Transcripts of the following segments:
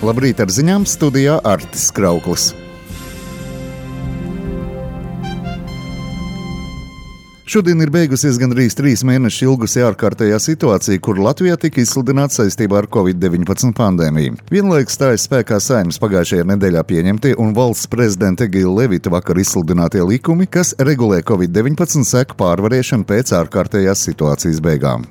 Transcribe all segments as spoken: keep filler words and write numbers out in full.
Labrīt, ar ziņām studijā Artis Krauklis. Šodien ir beigusies gandrīz trīs mēnešus ilgusi ārkārtējā situācija, kur Latvijā tika izsludināta saistībā ar covid deviņpadsmit pandēmiju. Vienlaikus stājas spēkā Saeimas pagājušajā nedēļā pieņemtie un valsts prezidenta Egila Levita vakar izsludinātie likumi, kas regulē covid deviņpadsmit seku pārvarēšanu pēc ārkārtējās situācijas beigām.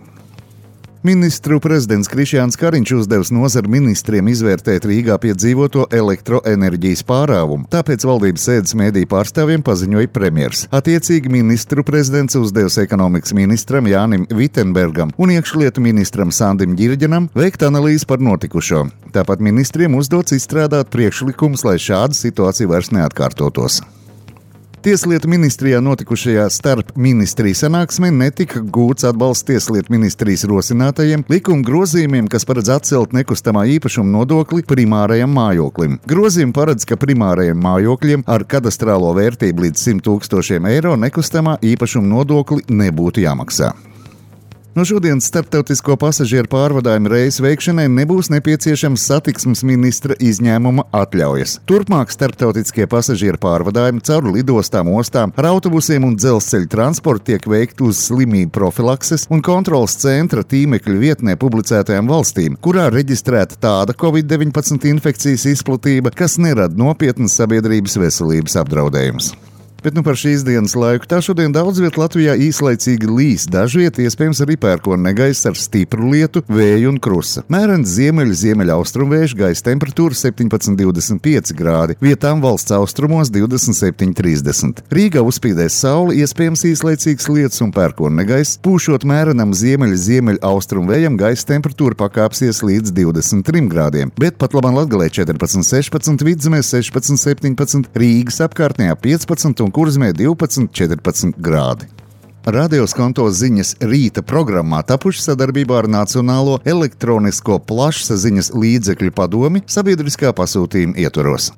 Ministru prezidents Krišjāns Kariņš uzdevis nozaru ministriem izvērtēt Rīgā piedzīvoto elektroenerģijas pārāvumu, tāpēc valdības sēdes mēdīju pārstāvjiem paziņoja premjers. Attiecīgi ministru prezidents uzdevis ekonomikas ministram Jānim Vitenbergam un iekšlietu ministram Sandim Ģirģenam veikt analīzi par notikušo. Tāpat ministriem uzdots izstrādāt priekšlikumus, lai šāda situācija vairs neatkārtotos. Tieslietu ministrijā notikušajā starp ministriju sanāksmē netika gūts atbalsts Tieslietu ministrijas rosinātajiem likuma grozījumiem, kas paredz atcelt nekustamā īpašuma nodokli primārajam mājoklim. Grozījumi paredz, ka primārajiem mājokļiem ar kadastrālo vērtību līdz simt tūkstošiem eiro nekustamā īpašuma nodokli nebūtu jāmaksā. No šodienas starptautisko pasažieru pārvadājumu reisu veikšanai nebūs nepieciešams satiksmes ministra izņēmuma atļaujas. Turpmāk starptautiskie pasažieru pārvadājumi caur lidostām, ostām, ar autobusiem un dzelzceļa transportu tiek veikti uz slimību profilakses un kontrolas centra tīmekļa vietnē publicētajām valstīm, kurā reģistrēta tāda covid deviņpadsmit infekcijas izplatība, kas nerada nopietnas sabiedrības veselības apdraudējumus. Bet nu par šīs dienas laiku tā šodien daudz viet Latvijā īslaicīgi līs, dažviet iespējams arī pērkona negaiss ar stipru lietu, vēju un krusa. Mērens ziemeļu ziemeļa austrumvējš, gaisa temperatūra septiņpadsmit līdz divdesmit pieci grādi, vietām valsts austrumos divdesmit septiņi līdz trīsdesmit. Rīgā uzspīdēs saule, iespējams īslaicīgs lietus un pērkona negaiss, pūšot mērenam ziemeļu ziemeļa austrumvējam, gaisa temperatūra pakāpsies līdz divdesmit trim grādiem, bet pat labam Latgalē četrpadsmit sešpadsmit, Vidzemē sešpadsmit septiņpadsmit, Rīgas apkārtnē piecpadsmit un Kurzemē divpadsmit četrpadsmit grādi. Radio Skonto ziņas rīta programmā tapuši sadarbībā ar Nacionālo elektronisko plašsaziņas līdzekļu padomi sabiedriskā pasūtījuma ietvaros.